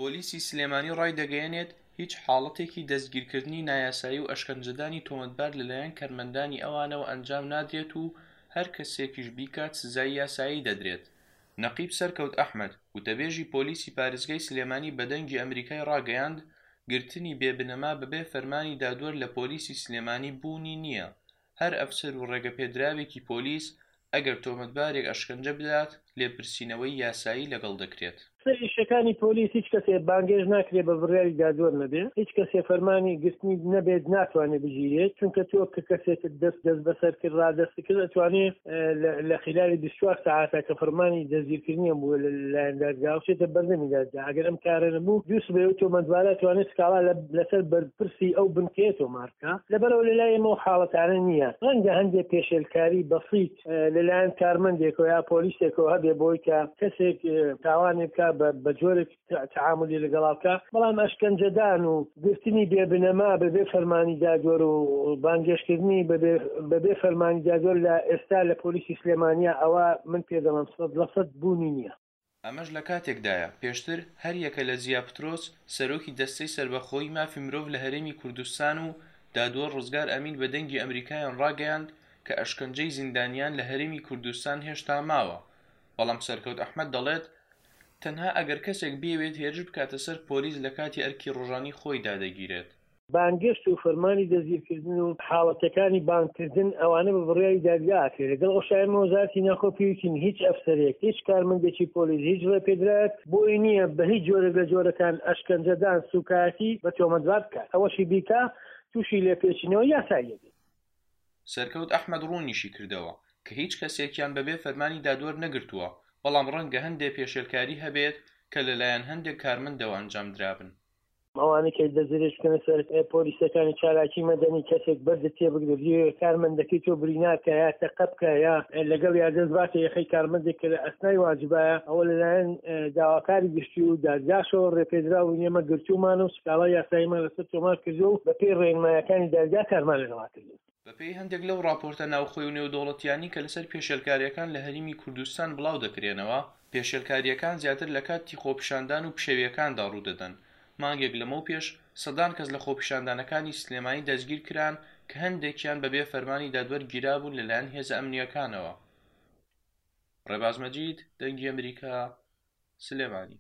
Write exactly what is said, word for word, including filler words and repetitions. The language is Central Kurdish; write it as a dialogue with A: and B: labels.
A: پۆلیسی سلێمانی ڕایدەگەیەنێت، هیچ حاڵەتێکی دەستگیرکردنی نایاسایی و ئەشکەنجەدانی تۆمەتبار لەلایەن کارمەندانی ئەوانەوە ئەنجام نادرێت و هەر کەسێکیش بیکات سزای یاسایی دەدرێت. نەقیب سەرکەوت ئەحمەد، وتەبێژی پۆلیسی پارێزگای سلێمانی بە دەنگی ئەمریکای ڕاگەیاند، گرتنی بێ بنەما بەبێ فەرمانی دادوەر لە پۆلیسی سلێمانی بوونی نییە، هەر ئەفسەر و ڕێگەپێدراوێکی پۆلیس ئەگەر تۆمەتبارێک ئەشکەنجە بدات لێپرسینەوەی یاسایی لەگەڵ دەکرێت.
B: سەر ئیشەکانی پۆلیس هیچ کەسێ بانگێش ناکرێت بە بڕیاری دادوەر نەبێ، هیچ کەسێ فەرمانی گرتنی نەبێت ناتوانێت بگیرێت، چونکە تۆ کە کەسێکت دەست دەست بەسەر کرد ڕادەست کرد ئەتوانێ لە خلالی بیست و چوار سەعاتە کە فەرمانی دەستگیرکردنیان بووە لەلایەن دادگا بچێتە بەردەمی دادگا. ئەگەر ئەم کارە نەبوو دوو سبەی ئەو تۆمەتبارە ئەتوانێت سکاڵا لەسەر بەرپرسی ئەو بنکەیە تۆمار بکا. لەبەرەوە لەلای ئێمە ئەو حاڵەتانە نییە. ڕەنگە هەندێک پێشێلکاری بەسیت لەلایەن کارمەندێکەوە یا پۆلیسێکەوە هەبێ بۆی کە کەسێک تاوانێ بکا بە جۆرێک تعاملی لەگەڵا بکا، بەڵام ئەشکەنجەدان و گرتنی بێبنەما بەبێ فەرمانی دادوەر و بانگێشکردنی بەبێ فەرمانی دادوەر لە ئێستا لە پۆلیسی سلێمانیا ئەوە من پێ دەڵێم سەد لە سەد بوونی نییە.
A: ئەمەش لە کاتێکدایە پێشتر هەریەکە لە زیا پترۆس سەرۆکی دەستەی سەربەخۆیی مافی مرۆڤ لە هەرێمی کوردستان و دادوەر ڕزگار ئەمین بە دەنگی ئەمریکایان ڕاگەیاند کە ئەشکەنجەی زیندانیان لە هەرێمی کوردستان هێشتا ماوە، بەڵام سەرکەوت ئەحمەد دەڵێت تەنها ئەگەر کەسێک بیەوێت هێرش بکاتە سەر پۆلیس لە کاتی ئەرکی ڕۆژانی خۆیدا دەگیرێت.
B: بانگێشت و فەرمانی دەستگیرکردن و حاڵەتەکانی بانگکردن ئەوانە بە بڕیاری دادگا ئەکرێت. لەگەڵ ئەو شایەمە وەزارەتی ناوخۆ پێویستین هیچ ئەفسەرێک، هیچ کارمەندێکی پۆلیس، هیچ ڕێپێدراوێک بۆی نییە بە هیچ جۆرێک لە جۆرەکان ئەشکەنجەدان سوکایەتی بە تۆمەتبار بکات. ئەوەشی بیکا تووشی لێپێچینەوە یاسایی دەبێت.
A: سەرکەوت ئەحمەد ڕوونیشی کردەوە کە هیچ کەسێکیان بەبێ فەرمانی دادوەر نەگرتووە، بەڵام ڕەنگە هەندێک پێشێلکاری هەبێت کە لەلایەن هەندێک کارمەندەوە ئەنجام درابن.
B: ئەوانەی کە دەستدرێژ بکەنە سەر پۆلیسەکانی چالاکی مەدەنی کەسێک بەردت تێ بگرێت، بیەوێت کارمەندەکەی تۆ برینار کە یا تەقە بکە یا لەگەڵ یا دەست باتە یەخەی کارمەندێک کە لە ئەسنای واجبایە، ئەوە لەلایەن داواکاری گشتی و دادگاشەوە ڕێپێدراو و ئێمە گرتوومان و سکاڵای یاساییمان لەسەر تۆمار کردووە و بەپێی ڕێنمایەکانی دادگا کارمان لەگەڵا کردووە.
A: بەپێی هەندێک لەو راپۆرتە ناوخۆی و نێودەوڵەتیانی کە لەسەر پێشێلکاریەکان لە هەرێمی کوردستان بڵاو دەکرێنەوە، پێشێلکاریەکان زیاتر لە کاتی خۆپیشاندان و پشێویەکاندا ڕوودەدەن. مانگێک لەمەو پێش سەدان کەس لە خۆپیشاندانەکانی سلێمانی دەستگیر کران کە هەندێکیان بەبێ فەرمانی دادوەر گیرابوون لەلایەن هێزە ئەمنیەکانەوە. ڕێباز مەجید، دەنگی ئەمریکا، سلێمانی.